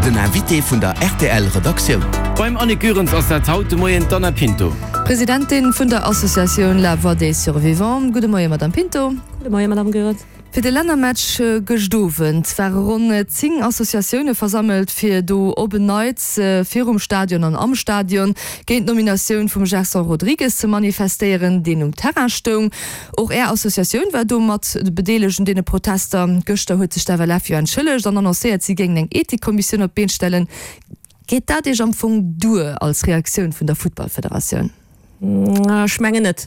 Den Invité vun der rtl Redaktioun. Beim Annick Goerens ass dat haut de Moien d'Anna Pinto. Presidentin vun der Associatioun La Voix des Survivants. Gudde Moie Madame Pinto. Gudde Moie Madame Goerens. Fir de Lännermatch gëscht Owend ware ronn 10 Associatioune versammelt, fir do op en Neits virum Stadion an am Stadion géint d'Nominatioun vum Gerson Rodrigues ze manifestéieren, deen um Terrain stoung. Och Är Associatioun war do mat bedeelegt un deene Protester. Gëschter huet sech d'FLF jo entschëllegt an annoncéiert, si géingen eng Ethikkommissioun op d'Been stellen. Geet dat Iech am Fong duer als Reaktioun vun der Futtballfederatioun? Ech mengen net.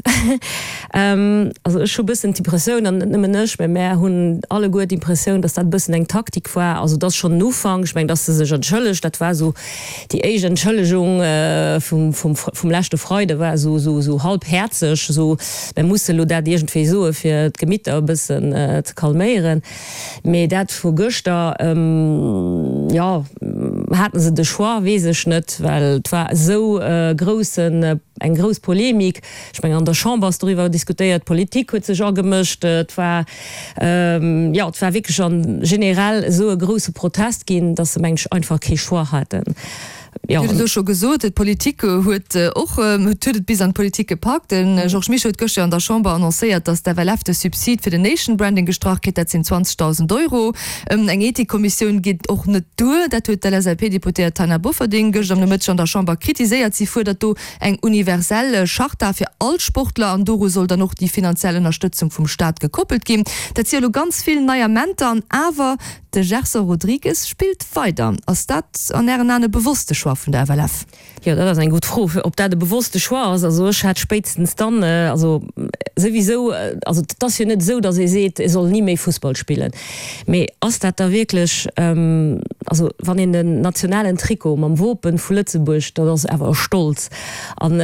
Also ech hu bëssen d'Impressioun, an net nëmmen ech, mä mär hunn alleguer d'Impressioun, datt dat e bëssen eng Taktik war. Also et ass schonn en Ufank. Ech mengen, datt se sech entschëllegt, dat war esou déi éischt Entschëllegung vum, vum, vum leschte Freide war esou, esou, esou halbhäerzeg, esou mär musse elo dat iergendwéi soe fir d'Gemitter e bëssen ze calméieren. Mee dat vu gëschter, jo, haten se de Choix, weess ech net, well et war esou e groussen, eng grouss Polemik. Ech mengen, an der Chamber ass doriwwer diskutéiert, d'Politik huet sech agemëscht. Et war, jo, et war wierklech an generell esou e grousse Protest ginn, datt se, mengen ech, einfach kee Choix haten. Dir hutt et elo scho gesot, d'Politik huet och, huet et bis an d'Politik gepackt. De Georges Mischo huet gëschter an der Chamber annoncéiert, datt d'FLF de Subsid fir den Nation Branding gestrach kritt. Dat sinn 20.000 Euro. Eng Ethikkommissioun geet och net duer. Dat huet d'LSAP-Deputéiert Taina Bofferding gëschter am Nomëtteg an der Chamber kritiséiert. Si fuerdert do eng universell Charta fir all Sportler an doru soll dann och déi finanziell Ënnerstëtzung vum Staat gekoppelt ginn. Dat si jo elo ganz vill nei Amenter an awer De Gerson Rodrigues spillt weider. Ass dat an Ären Aen e bewosste Choix vun der FLF? Jo, dat ass eng gutt Fro, ob dat e bewosste Choix ass. Also ech hat spéitstens dann, also souwisou, also et ass jo net esou, datt ee seet, e soll ni méi Fussball spillen. Mee ass dat da wierklech, also wann een den nationalen Trikot mam Wopen vu Lëtzebuerg, dat ass awer e Stolz an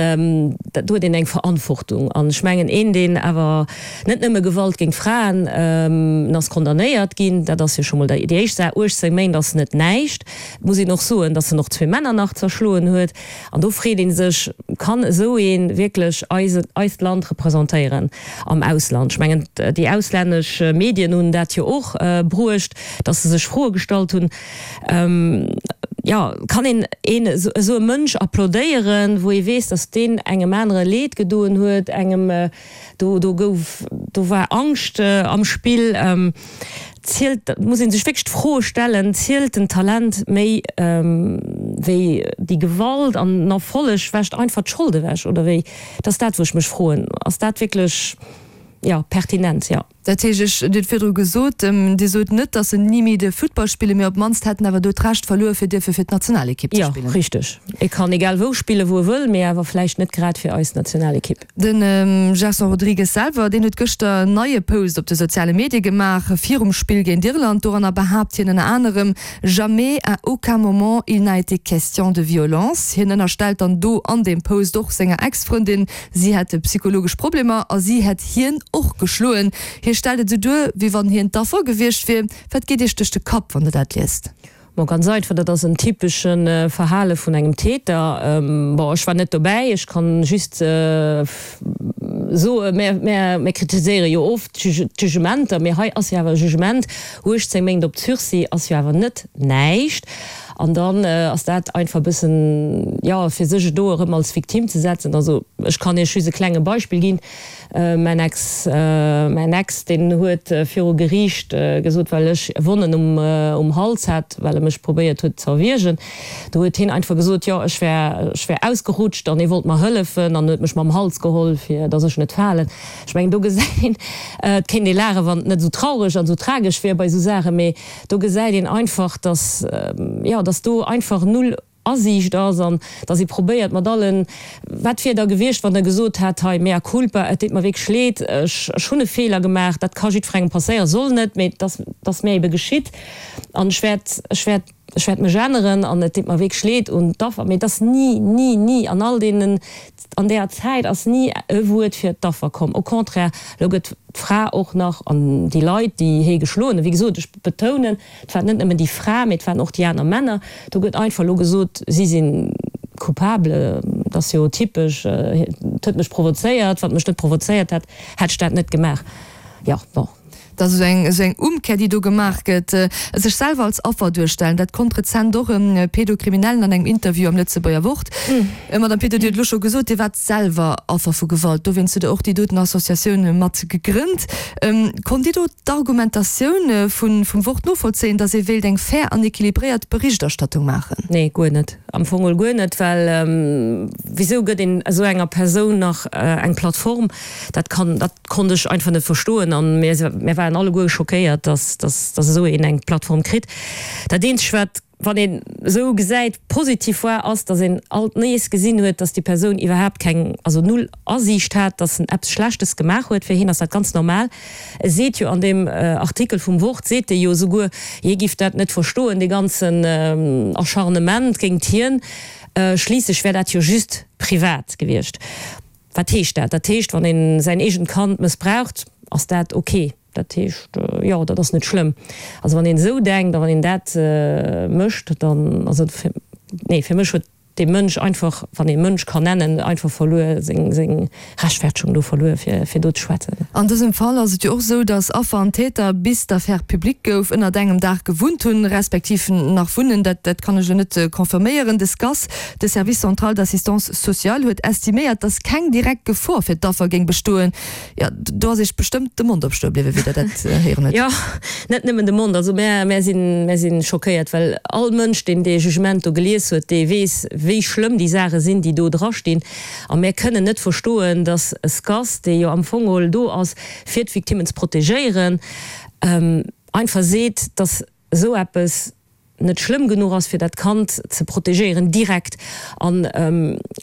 do huet een eng Verantwortung. An ech mengen, een deen awer, Net nëmme Gewalt géint Fraen, en ass condamnéiert ginn, dat ass jo scho mol déi éischt Saach, 18 Méint ass net näischt. Et muss een och soen, datt en och zwee Männer nach zerschloen huet. An do freet ee sech, Kann esou ee wierklech eist Land representéieren am Ausland? Ech mengen, déi auslännesch Medien hunn dat jo och bruecht, datt se sech Froe gestallt hunn. Jo, kann een een esou e Mënsch applaudéieren, wou ee weess, datt deen engem anere Leed gedoen huet, engem, Do, do gouf, do war Angscht am Spill. Zielt, muss ee sech wierklech d'Fro stellen, zielt den Talent méi wéi déi Gewalt an den Erfolleg wäscht einfach d'Schold ewech oder wéi? Dat ass dat, wou ech mech froen. Ass dat wierklech, jo, pertinent? Jo. Dat heescht, ech, Dir hutt virdru gesot, Dir sot net, datt en ni méi dierf Futtball spillen, mee op d'mannst hätt en awer do d'Recht verluer, fir dierfe fir d'Nationalekipp ze Jo, spillen. richteg. E kann egal wou spillen, wou e wëll, mee awer vläicht net grad fir eis Nationalekipp. De Gerson Rodrigues selwer, deen huet gëschter en neie Post op de soziale Medie gemaach virum Spill géint Irland. Doranner behaapt hien ënner anerem, Jamais, à aucun moment, il n'a été question de violence. Hien ënnerstellt dann do an deem Post och senger Ex-Frëndin, Si hätte psychologesch Problemer a si hätt hien och geschloen. Hie stellt et esou duer, wéi wann hien d'Affer gewiescht wier. Wat geet Iech duerch de Kapp, wann Der dat liest? Bon, ganz einfach, dat ass en typesche Verhale vun engem Täter. Bon, ech war net dobäi, ech kann just soen, mär, mär, mär kritiséiere jo oft d'Jugementer, mee hei ass jo awer e Jugement, 18 Méint op Sursis ass jo awer net näischt. An dann ass dat einfach e bëssen, jo, fir sech do erëm als Victime ze setzen. Also ech kann Iech just e klenge Beispill ginn. Mäin Ex, mäin Ex, deen huet viru Geriicht gesot, well ech Wonnen um, um Hals hat, well e mech probéiert huet ze erwiergen, do huet hien einfach gesot, jo, ech wär, ech wär ausgerutscht an hie wollt mer hëllefen an huet mech mam Hals geholl, fir datt ech net falen. Ech mengen, do gesäit een, et kéint ee laachen, wann et net esou traureg an esou tragesch wier bei esou Saachen, mee Do gesäit een einfach, dass, jo, dass do einfach null Asiicht ass an dass ee probéiert mat allen, wat wier da gewiescht, wann Der gesot hätt, hei, mea culpa, et deet mer wierklech leed, ech, ech hunn e Feeler gemaach, dat ka jiddwerengem passéieren, soll net, mee et ass, et ass mir ebe geschitt an ech wäert, ech wäert, ech wäert mech änneren an et deet mer wierklech leed un d'Affer. Mee et ass ni, ni, ni an all deenen An deeër Zäit ass ni e Wuert fir d'Affer komm. Au contraire, elo gëtt d'Fra och nach, an déi Leit, déi hee geschloen hunn, wéi gesot, ech betounen, et waren net nëmmen déi Fra, mee et waren och déi aner Männer, do gëtt einfach elo gesot, si si coupable. Dat ass jo typesch, et huet mech provozéiert, wann et mech net provozéiert hätt, hätt ech dat net gemaach. Jo, bon. Dat ass esou eng, esou eng Umkehr, déi do gemaach gëtt. Sech selwer als Affer duerstellen, dat konnt rezent och e Pedokriminellen an engem Interview am Lëtzebuerger Wort. Madame Pinto, Dir hutt elo scho gesot, Dir waart selwer Affer vu Gewalt, dowéinst hutt Der och déi doten Associatioun mat gegrënnt. Konnt Dir do d'Argumentatioun vum Wort novollzéien, datt ee wéilt eng fair an equilibréiert Berichterstattung maachen? Nee, guer net. Am Fong geholl guer net, well wisou gëtt een esou enger Persoun nach eng Plattform? Dat kann, dat konnt ech einfach net verstoen an mir, mir waren alleguer schockéiert, dass, dass, dass esou een eng Plattform kritt. Dat eenzegt wat, wann een esou gesäit, positiv war, ass, dass een alt nees gesinn huet, dass déi Persoun iwwerhaapt keng, also null Asiicht hat, dass en eppes Schlechtes gemaach huet. Fir hien ass dat ganz normal. E seet jo an deem Artikel vum Wort, seet e jo esouguer, hie giff dat net verstoen, dee ganzen Acharnement géingt hien, schliisslech wär dat jo just privat gewiescht. Wat heescht dat? Dat heescht, wann een säin eegent Kand mëssbraucht, ass dat ok. Dat heescht, jo, dat ass net schlëmm. Also wann een esou denkt a wann een dat mécht, dann, also fir, nee, fir mech huet dee Mënsch einfach, wann ee Mënsch kann nennen, einfach verluer, seng, seng Rechtfertegung do verluer, fir, fir do ze schwätzen. An dësem Fall ass et jo och esou, datt Affer an Täter, bis d'Affär public gouf, ënnert engem Daach gewunnt hunn, respektiv nach wunnen. Dat, dat kann ech elo net confirméieren. De SCAS, de Service central d'assistance sociale, huet estiméiert, datt keng direkt Gefor fir d'Affer géing bestoen. Jo, do ass Iech bestëmmt de Mond op stoe bliwwen, wéi Der dat héieren hutt. Jo, net nëmmen de Mond. Also mär, mär sinn, mär si schockéiert, well all Mënsch, deen dee Jugement do gelies huet, dee weess, wéi schlëmm déi Saache sinn, déi do drastinn. A mär kënnen net verstoen, datt e SCAS, dee jo am Fong geholl do ass, fir d'Victimmen ze protegéieren, einfach seet, datt esou eppes net schlëmm genuch ass, fir dat Kand ze protegéieren direkt. An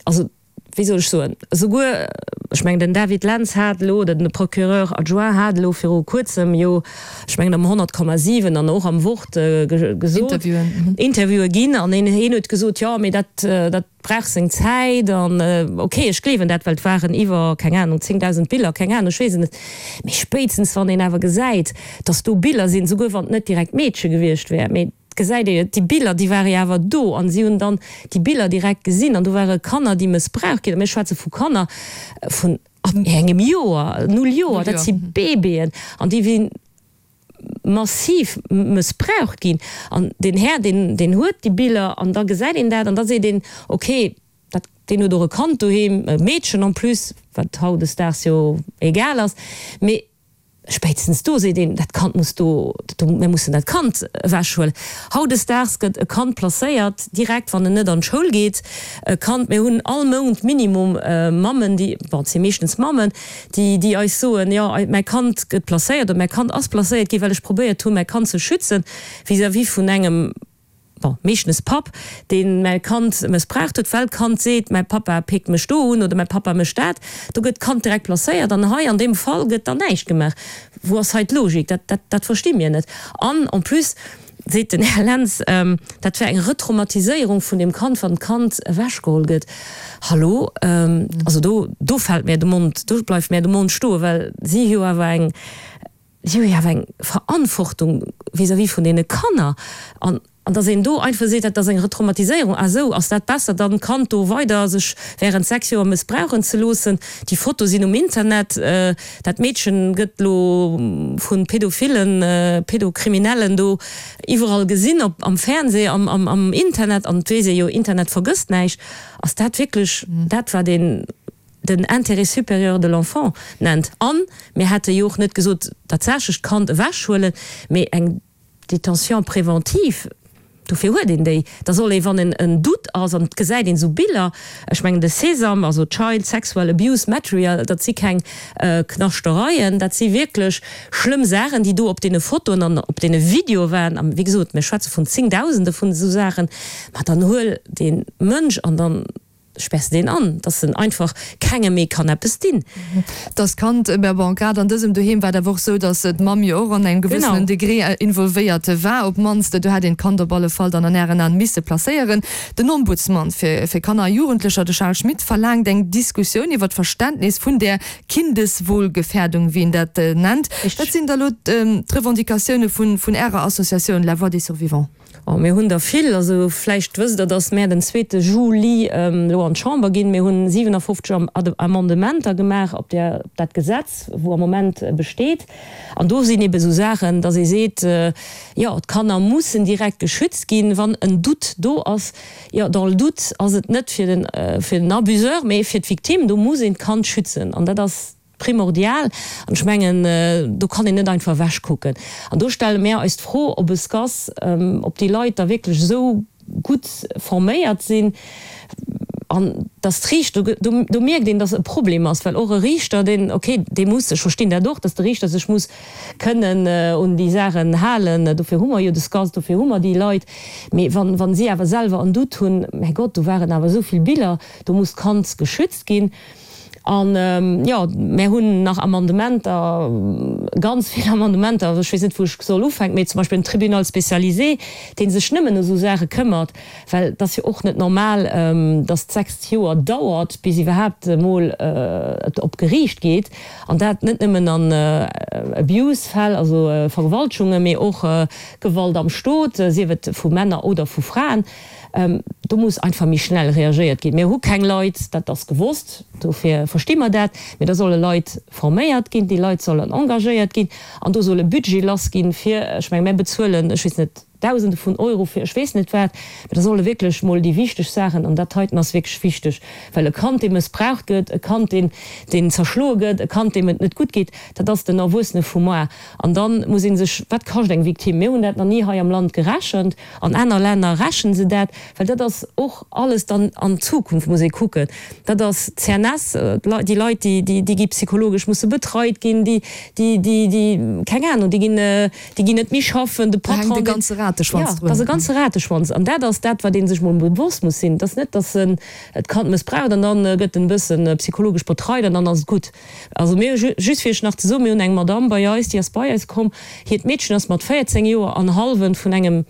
also, wéi soll ech soen, esouguer, ech mengen den David Lentz hat elo, oder den Procureur adjoint hat elo viru kuerzem jo, ech mengen am 100,7 an och am Wort gesot, Interviewen ginn an hien huet gesot, jo, mee dat, dat brauch seng Zäit an ok, ech gleewen dat, well et waren iwwer, keng Ahnung, 10.000 Biller, keng Ahnung, ech weess et net, mee spéitstens wann een awer gesäit, datt do Biller sinn, esouguer wann et net direkt d'Meedche gewiescht wär, mee et gesäit ee jo, déi Biller, déi ware jo awer do an si hunn dann déi Biller direkt gesinn an do ware Kanner, déi mëssbraucht ginn, a mir schwätze vu Kanner vun ab engem Joer, null Joer, dat si Baby'en an déi sinn massiv mëssbraucht ginn an deen Här, deen, deen huet déi Biller an da gesäit een dat an da seet een, okay, dat, deen huet och e Kand doheem, e Meedchen en plus, wat hautdesdaags jo egal ass, mee spéitstens do seet een, dat Kand muss do, do, mir mussen dat Kand ewechhuelen. Hautdesdaags gëtt e Kand placéiert direkt, wann en net an d'Schoul geet, e Kand, mir hunn all Mount minimum Mammen, déi, bon, et si meeschtens Mammen, déi déi eis soen, jo mäi Kand gëtt placéiert oder mäi Kand ass placéiert ginn, well ech probéiert hunn, mäi Kand ze schützen vis-à-vis vun engem, bon, meeschtens Papp, deen mäi Kand mëssbraucht huet, well d'Kand seet, mäi Pappa péckt mech do un oder mäi Pappa mécht dat. Do gëtt d'Kand direkt placéiert an hei an deem Fall gëtt dann näischt gemaach. Wou ass hei d'Logik? Dat, dat, dat versti mir net. An en plus seet den Här Lentz, dat wär eng Retraumatiséierung vun deem Kand, wann d'Kand ewechgeholl gëtt. Hallo? Also do, do fält mär de Mond, do bleift mär de Mond stoen, well si hu jo awer eng, si hu jo awer eng Verantwortung vis-à-vis vun deene Kanner. An An dass een do einfach seet, dat ass eng Retraumatiséierung, ah esou, ass dat besser dann d'Kand do weider sech während 6 Joer mëssbrauchen ze loossen? Déi Fotoe sinn um Internet, dat Meedchen gëtt lo vu Pädophillen, Pädokriminellen do iwwerall gesinn, op am Fernseh, am am Internet, an et weess ee jo, Internet vergësst näischt. Ass dat wierklech dat wat een den Intérêt supérieur de l'enfant nennt? An mir hätte jo och net gesot, tatsächlech d'Kand ewechhuelen, mee eng. Détention préventive, dofir huet een déi. Da soll ee, wann en en Doute ass an et gesäit een esou Biller, ech mengen de Sesam, also Child Sexual Abuse Material, dat si keng Knaschtereien, dat si wierklech schlëmm Saachen, déi do op deene Fotoen an op deene Videoe waren. A wéi gesot, mir schwätze vun Zéngdausende vun esou Saachen. Ma dann huel dee Mënsch an dann Spärs de deen an, dass en einfach kengem méi kann eppes dinn. Dass Kand, mä bon, grad an dësem Doheem war et awer och esou, dass d'Mamm jo och an engem gewëssenen Degré involvéiert war, op d'mannst. Do hätt een d'Kand op alle Fall dann an Ären Aen misse placéieren. Den Ombudsman fir fir Kanner a Jugendlecher, de Charles Schmit, verlaangt eng Diskussioun iwwer d'Verständnis vun där Kindeswohlgefährdung, wéi en dat nennt. Wat sinn da elo d'Revendicatioune vun vun Ärer Associatioun La Voix des Survivants? Oh, mir hunn der vill. Also vläicht wësst Der, datt mär den zweete Juli elo an d'Chamber ginn. Mir hunn 57 Amendementer gemaach op där, op dat Gesetz, wou am Moment besteet. An do sinn ebe sou Saachen, datt ee seet, jo, d'Kanner mussen direkt geschützt ginn, wann en Doute do ass. Jo, dans le doute ass et net fir den, fir den Abuseur, mee fir d'Victime. Do muss een d'Kand schützen an dat ass primordial. An ech mengen, do kann een net einfach ewechkucken. An do stelle mär eis d'Fro, ob e SCAS, ob déi Leit da wierklech esou gutt forméiert sinn an dass d'Riichter, do, do mierkt een, dass e Problem ass, well och e Riichter, deen, okay, dee muss, ech verstinn dat och, dass de Riichter sech muss kënnen un déi Saachen halen, dofir hu mer jo de SCAS, dofir hu mer déi Leit, mee wann, wa si awer selwer en Doute hunn, mäi Gott, do waren awer esou vill Biller, do muss d'Kand geschützt ginn. An, jo, mär hunn nach Amendementer, ganz vill Amendementer, ech weess net, wou ech soll ufänken, mee zum Beispill en Tribunal spécialisé, dee sech nëmmen ëm esou Saache këmmert, well et ass jo och net normal, datt 6 Joer dauert, bis iwwerhaapt emol et op Geriicht geet, an dat net nëmmen an Abuse-Fäll, also Vergewaltegungen, mee och Gewalt am Stot, sief et vu Männer oder vu Fraen. Do muss einfach méi schnell reagéiert ginn. Mir hu keng Leit, dat ass gewosst, dofir versti mer dat, mee da solle Leit forméiert ginn, déi Leit sollen engagéiert ginn an do soll e Budget lass ginn, fir, ech menge mir bezuelen, ech weess net, Dausende vun Euro fir ech weess net wat, mee da solle wierklech mol déi wichteg Saachen, an dat heiten ass wierklech wichteg, well e Kand, dee mëssbraucht gëtt, e Kand, deen, deen zerschloe gëtt, e Kand, deem et net gutt geet, dat ass den Erwuessene vu moar. An da muss ee sech, wat kascht eng Victime? Mir hunn dat nach ni hei am Land gerechent. An aner Länner rächen se dat, well dat ass och alles dann an d'Zukunft muss ee kucken. Dat ass d'CNS, déi Leit, déi gi psychologesch musse betreit ginn, déi, déi, déi, keng Ahnung, déi ginn, déi ginn net méi schaffen, de Patron. Da hänkt e ganze Rateschwanz drun. Jo, dat ass e ganze Rateschwanz. An dat ass dat, wat ee sech mol bewosst muss sinn. Et ass net, datt en d'Kand mëssbraucht an dann gëtt en e bësse psychologesch betreit an dann ass et gutt. Also mir hu, just fir iech nach ze soen, mir hunn eng Madamm bei eis, déi ass bei eis komm, hiert Meedchen ass mat 14 Joer an hallwen vun engem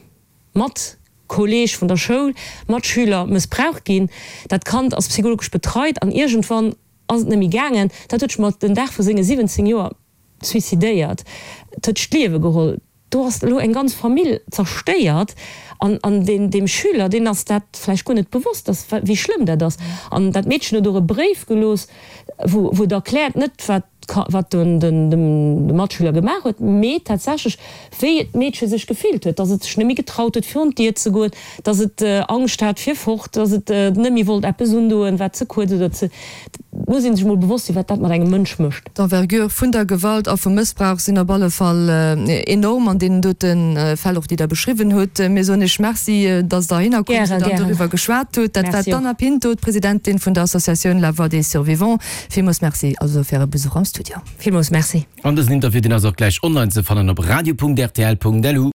Matkolleeg vun der Schoul, Matschüler, mëssbraucht ginn. Dat Kand ass psychologesch betreit an iergendwann ass et net méi gaangen. Dat huet sech mat den Dag vu senge 17 Joer suicidéiert, et huet sech d'Liewe geholl. Do ass elo eng ganz Famill zerstéiert an an deen deem Schüler, deen ass dat vläicht guer net bewosst, dass wéi schlëmm dat ass. An dat Meedchen huet och e Bréif gelooss, wou wou et erkläert, net wat wat den den de Matschüler gemaach huet, mee tatsächlech wéi d'Meedche sech gefillt huet, dass et sech net méi getraut huet virun d'Dier ze goen, dass et Angscht hat fir fort, dass et net méi wollt eppes undoen, wat ze kuerz oder ze. Et muss ee sech mol bewosst sinn, wat dat mat engem Mënsch mécht. D'Envergure vun der Gewalt a vum Mëssbrauch sinn op alle Fall enorm an deenen dote Fäll och, déi Der beschriwwen hutt. Mir soen Iech Merci, dass Der heihinner komm sidd an doriwwer geschwat hutt. Dat war d'Anna Pinto, d'Presidentin vun der Associatioun La Voix des Survivants. Villmools Merci also fir Äre Besuch am Studio. Villmools Merci. An dësen Interview, deen ass och gläich online ze fannen op radio.rtl.lu.